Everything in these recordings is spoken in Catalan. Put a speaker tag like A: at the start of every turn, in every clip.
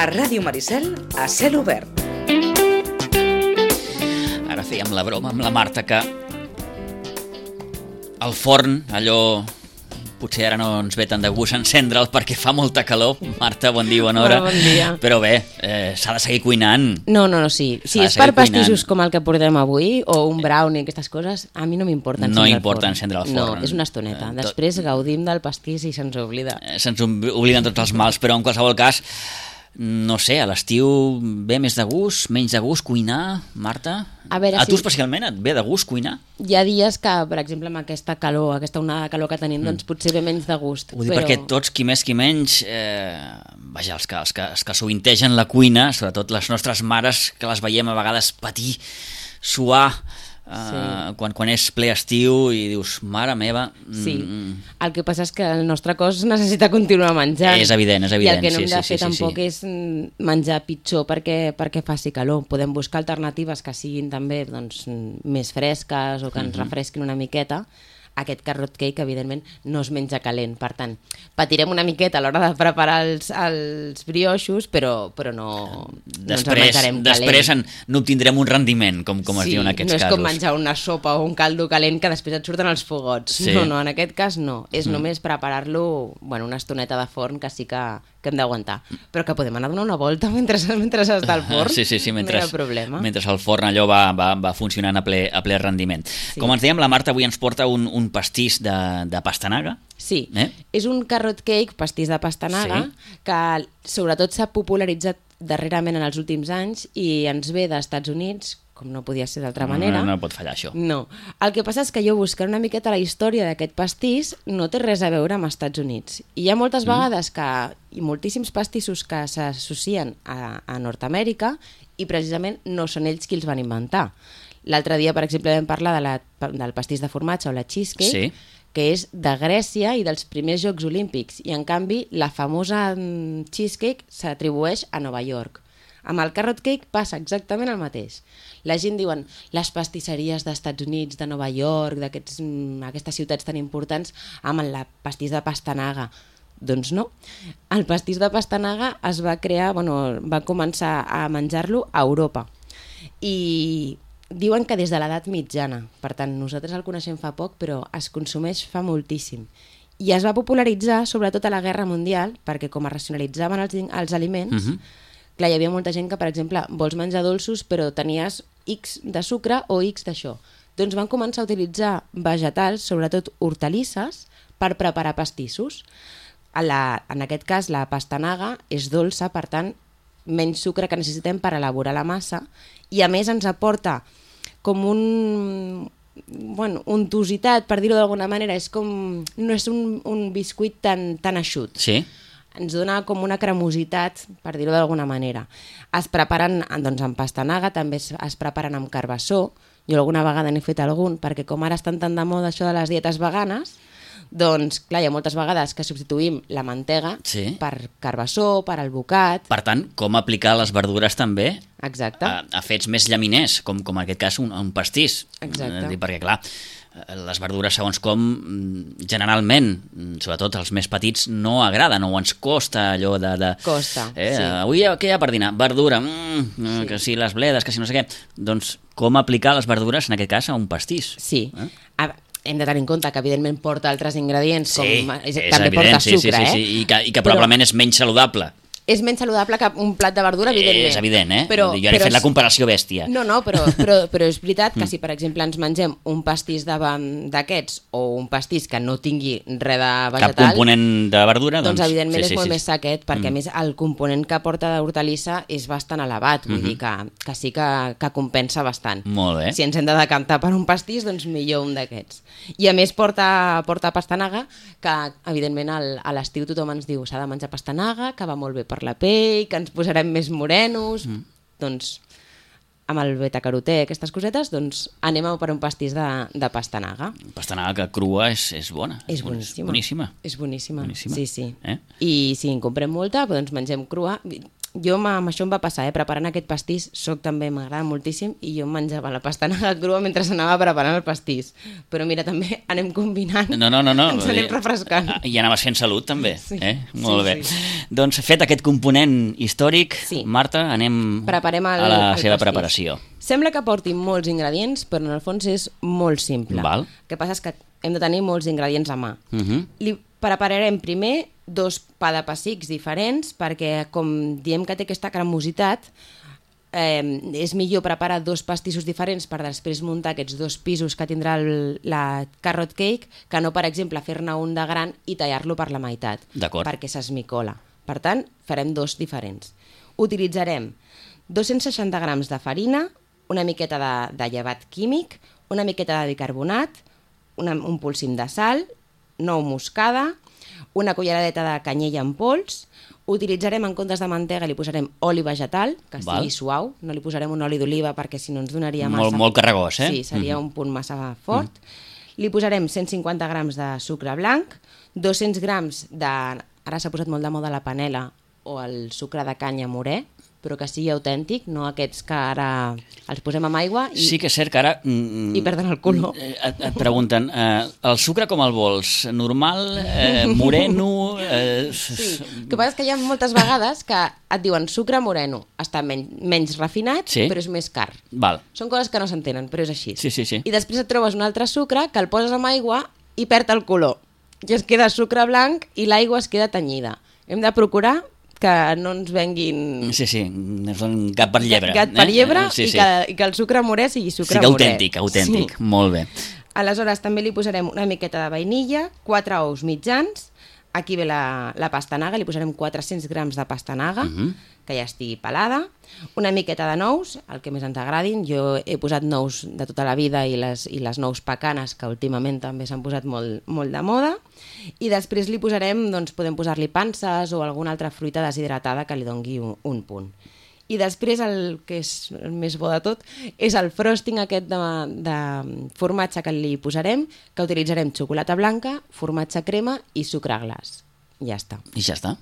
A: A Ràdio Maricel, a cel obert.
B: Ara fèiem la broma amb la Marta que el forn, allò, potser ara no ens ve tant de gust encendre'l perquè fa molta calor. Marta, bon dia, bona hora.
C: Bon dia.
B: Però bé, s'ha de seguir cuinant.
C: No, sí. Si és per pastissos com el que portem avui, o un brownie, aquestes coses, a mi no m'importa encendre el forn.
B: No importa encendre el forn.
C: No, és una estoneta. Després gaudim del pastís i se'ns oblida.
B: Se'ns obliden tots els mals, però en qualsevol cas, no sé, a l'estiu ve més de gust, menys de gust cuinar, Marta?
C: A veure,
B: tu especialment et ve de gust cuinar?
C: Hi ha dies que, per exemple, amb aquesta calor, aquesta onada de calor que tenim, doncs potser ve menys de gust.
B: Ho dic perquè tots, qui més qui menys, vaja, els que sovintegen la cuina, sobretot les nostres mares, que les veiem a vegades patir, suar, quan és ple estiu i dius, mare meva...
C: Sí, el que passa és que el nostre cos necessita continuar menjant.
B: És evident.
C: I el que no hem de fer tampoc és menjar pitjor perquè faci calor. Podem buscar alternatives que siguin també més fresques o que ens refresquin una miqueta. Aquest carrot cake, evidentment, no es menja calent. Per tant, patirem una miqueta a l'hora de preparar els brioixos, però no ens el menjarem calent.
B: Després n'obtindrem un rendiment, com es diu en aquests casos.
C: No és com menjar una sopa o un caldo calent que després et surten els fogots. Sí. No, en aquest cas no. És només preparar-lo una estoneta de forn que sí que hem d'aguantar. Però que podem anar a donar una volta mentre està al forn.
B: Sí,
C: mentre, no hi ha problema.
B: Mentre el forn allò va funcionant a ple rendiment. Sí. Com ens dèiem, la Marta avui ens porta un pastís de pastanaga.
C: Sí, és un carrot cake, pastís de pastanaga, que sobretot s'ha popularitzat darrerament en els últims anys i ens ve dels Estats Units, com no podia ser d'altra manera.
B: No pot fallar això.
C: No. El que passa és que jo buscant una miqueta la història d'aquest pastís no té res a veure amb els Estats Units. I hi ha moltes vegades i moltíssims pastissos que s'associen a Nord-Amèrica i precisament no són ells qui els van inventar. L'altre dia, per exemple, vam parlar del pastís de formatge o la cheesecake, que és de Grècia i dels primers Jocs Olímpics. I, en canvi, la famosa cheesecake s'atribueix a Nova York. Amb el carrot cake passa exactament el mateix. La gent diuen les pastisseries dels Estats Units, de Nova York, d'aquestes ciutats tan importants, amb el pastís de pastanaga. Doncs no. El pastís de pastanaga es va crear, va començar a menjar-lo a Europa. I diuen que des de l'edat mitjana. Per tant, nosaltres el coneixem fa poc, però es consumeix fa moltíssim. I es va popularitzar sobretot a la Guerra Mundial, perquè com es racionalitzaven els aliments, clar, hi havia molta gent que, per exemple, vols menjar dolços però tenies X de sucre o X d'això. Doncs van començar a utilitzar vegetals, sobretot hortalisses, per preparar pastissos. En aquest cas, la pastanaga és dolça, per tant, menys sucre que necessitem per elaborar la massa i, a més, ens aporta com untositat, per dir-ho d'alguna manera. No és un biscuit tan eixut.
B: Sí.
C: Ens dona com una cremositat, per dir-ho d'alguna manera. Es preparen amb pastanaga, també es preparen amb carbassó. Jo alguna vegada n'he fet algun, perquè com ara estan tan de moda això de les dietes veganes, doncs, clar, hi ha moltes vegades que substituïm la mantega per carbassó, per albocat...
B: Per tant, com aplicar les verdures també
C: a
B: fets més llaminers, com en aquest cas un pastís.
C: Exacte.
B: Perquè, clar, les verdures, segons com, generalment, sobretot els més petits, no agraden o ens costa allò de...
C: Costa, sí.
B: Avui què hi ha per dinar? Verdura, que si les bledes, que si no sé què... Doncs com aplicar les verdures, en aquest cas, a un pastís?
C: Sí. Hem de tenir en compte que, evidentment, porta altres ingredients, com també porta sucre,
B: i que probablement és menys saludable.
C: És menys saludable que un plat de verdura, evidentment.
B: És evident, Jo ara he fet la comparació bèstia.
C: No, però és veritat que si, per exemple, ens mengem un pastís d'aquests o un pastís que no tingui res de vegetal...
B: Cap component de verdura,
C: doncs evidentment és molt més sequet, perquè a més el component que porta d'hortalissa és bastant elevat, vull dir que sí que compensa bastant.
B: Molt bé.
C: Si ens hem de decantar per un pastís, doncs millor un d'aquests. I a més porta pastanaga, que evidentment a l'estiu tothom ens diu s'ha de menjar pastanaga, que va molt bé per la pell, que ens posarem més morenos, doncs amb el beta-carotè, aquestes cosetes, doncs anem per un pastís de pastanaga.
B: Pastanaga que crua és bona.
C: És boníssima.
B: Boníssima.
C: És boníssima, sí.
B: Eh?
C: I si en comprem molta, doncs mengem crua. jo amb això em va passar, preparant aquest pastís, també m'agrada moltíssim, i jo em menjava la pastanaga crua mentre anava preparant el pastís. Però mira, també anem combinant,
B: No.
C: ens anem refrescant.
B: I anaves fent salut, també.
C: Sí.
B: Molt bé.
C: Sí.
B: Doncs fet aquest component històric,
C: Sí.
B: Marta, anem
C: Preparem
B: a la seva
C: pastís.
B: preparació.
C: Sembla que porti molts ingredients, però en el fons és molt simple.
B: Val.
C: El que passa és que hem de tenir molts ingredients a mà. Li prepararem primer 2 pa de pessics diferents, perquè com diem que té aquesta cremositat, és millor preparar 2 pastissos diferents per després muntar aquests 2 pisos que tindrà la carrot cake, que no, per exemple, fer-ne un de gran i tallar-lo per la meitat,
B: D'acord.
C: perquè s'esmicola. Per tant, farem 2 diferents. Utilitzarem 260 grams de farina, una miqueta de llevat químic, una miqueta de bicarbonat, un polsim de sal, nou moscada, una culleradeta de canyella en pols. Utilitzarem, en comptes de mantega, li posarem oli vegetal, que sigui suau. No li posarem un oli d'oliva perquè si no ens donaria massa...
B: Molt carregós, eh?
C: Sí, seria un punt massa fort. Li posarem 150 grams de sucre blanc, 200 grams de... Ara s'ha posat molt de moda la panela o el sucre de canya morè, però que sigui autèntic, no aquests que ara els posem amb aigua i,
B: Sí que és cert que ara...
C: i perden el color.
B: Et pregunten, el sucre com el vols? Normal? Moreno?
C: Sí. El que passa és que hi ha moltes vegades que et diuen sucre moreno, està menys refinat,
B: Sí.
C: però és més car.
B: Val.
C: Són coses que no s'entenen, però és així.
B: Sí.
C: I després et trobes un altre sucre que el poses amb aigua i perd el color. I es queda sucre blanc i l'aigua es queda tenyida. Hem de procurar que no ens venguin...
B: Sí, ens donen gat per llebre.
C: Gat per llebre
B: Sí.
C: i que el sucre morè sigui sucre morè.
B: Autèntic.
C: Sí.
B: Molt bé.
C: Aleshores també li posarem una miqueta de vainilla, 4 ous mitjans, aquí ve la pastanaga, li posarem 400 grams de pastanaga, que ja estigui pelada, una miqueta de nous, el que més ens agradin. Jo he posat nous de tota la vida i les nous pecanes, que últimament també s'han posat molt de moda, i després li posarem, doncs podem posar-li panses o alguna altra fruita deshidratada que li dongui un punt. I després el que és el més bo de tot és el frosting aquest de formatge que li posarem, que utilitzarem xocolata blanca, formatge crema i sucre glaç. Ja està.
B: I ja està.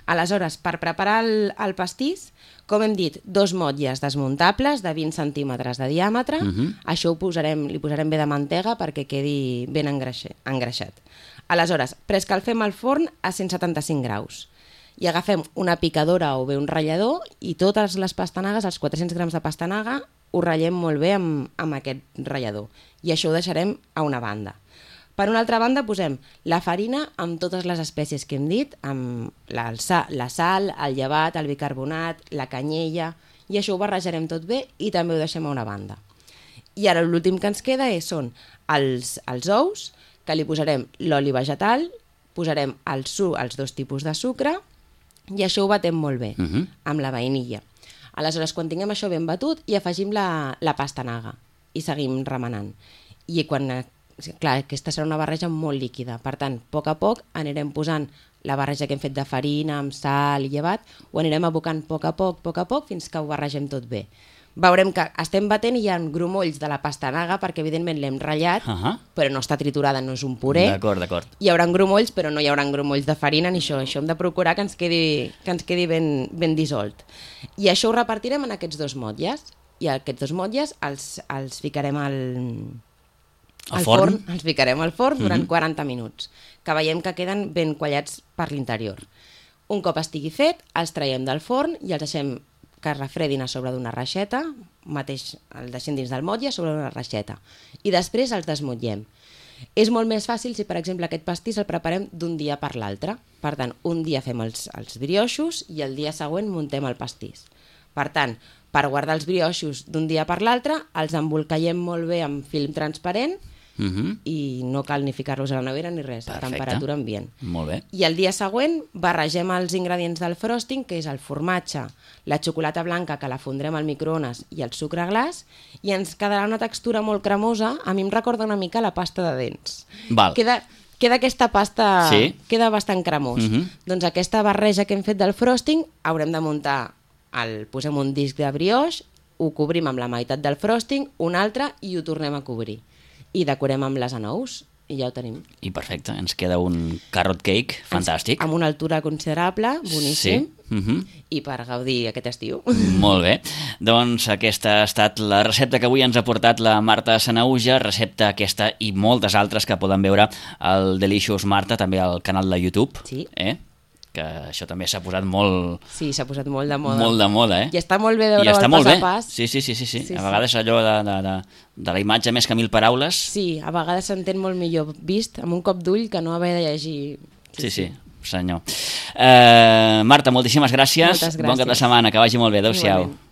C: Aleshores, per preparar el pastís, com hem dit, 2 motlles desmuntables de 20 centímetres de diàmetre. Això li posarem bé de mantega perquè quedi ben engreixat. Aleshores, preescalfem el forn a 175 graus i agafem una picadora o bé un ratllador i totes les pastanagues, els 400 grams de pastanaga, ho ratllem molt bé amb aquest ratllador. I això ho deixarem a una banda. Per una altra banda posem la farina amb totes les espècies que hem dit, amb la sal, el llevat, el bicarbonat, la canyella, i això ho barrejarem tot bé i també ho deixem a una banda. I ara l'últim que ens queda són els ous, que li posarem l'oli vegetal, posarem els 2 tipus de sucre i això ho batem molt bé amb la vainilla. Aleshores, quan tinguem això ben batut, hi afegim la pastanaga i seguim remenant. I clar, aquesta serà una barreja molt líquida, per tant, a poc anirem posant la barreja que hem fet de farina, amb sal i llevat, ho anirem abocant a poc, fins que ho barregem tot bé. Veurem que estem batent i hi ha grumolls de la pastanaga, perquè evidentment l'hem ratllat, però no està triturada, no és un puré.
B: D'acord.
C: Hi haurà grumolls, però no hi haurà grumolls de farina ni això. Això hem de procurar que ens quedi ben dissolt. I això ho repartirem en aquests 2 motlles. I aquests 2 motlles els ficarem al forn. Els ficarem al forn durant 40 minuts, que veiem que queden ben quallats per l'interior. Un cop estigui fet, els traiem del forn i els deixem que refredin a sobre d'una reixeta, mateix el deixem dins del motlle a sobre d'una reixeta, i després els desmotllem. És molt més fàcil si, per exemple, aquest pastís el preparem d'un dia per l'altre. Per tant, un dia fem els brioixos i el dia següent muntem el pastís. Per tant, per guardar els brioixos d'un dia per l'altre, els embolcallem molt bé amb film transparent i no cal ni ficar-los a la nevera ni res, a temperatura ambient.
B: Molt bé.
C: I el dia següent barregem els ingredients del frosting, que és el formatge, la xocolata blanca, que la fondrem al microones, i el sucre glaç, i ens quedarà una textura molt cremosa. A mi em recorda una mica la pasta de dents.
B: Val.
C: Queda aquesta pasta,
B: Sí.
C: queda bastant cremós. Doncs aquesta barreja que hem fet del frosting haurem de muntar, posem un disc de brioix, ho cobrim amb la meitat del frosting, un altre, i ho tornem a cobrir. I decorem amb les anous. i ja ho tenim.
B: I perfecte, ens queda un carrot cake fantàstic.
C: Amb una altura considerable, boníssim,
B: Sí.
C: i per gaudir aquest estiu.
B: Molt bé. Doncs aquesta ha estat la recepta que avui ens ha portat la Marta Sanahuja, recepta aquesta i moltes altres que poden veure al Delicious Marta, també al canal de YouTube.
C: Sí.
B: Que això també s'ha posat molt...
C: Sí, s'ha posat molt de moda.
B: Molt de moda,
C: I està molt bé veure el pas a pas.
B: Sí. A vegades allò de la imatge més que 1000 paraules...
C: Sí, a vegades s'entén molt millor vist amb un cop d'ull que no haver de llegir.
B: Sí, senyor. Marta, moltíssimes gràcies.
C: Moltes gràcies.
B: Bon cap de setmana, que vagi molt bé. Adéu-siau.
C: Igualment.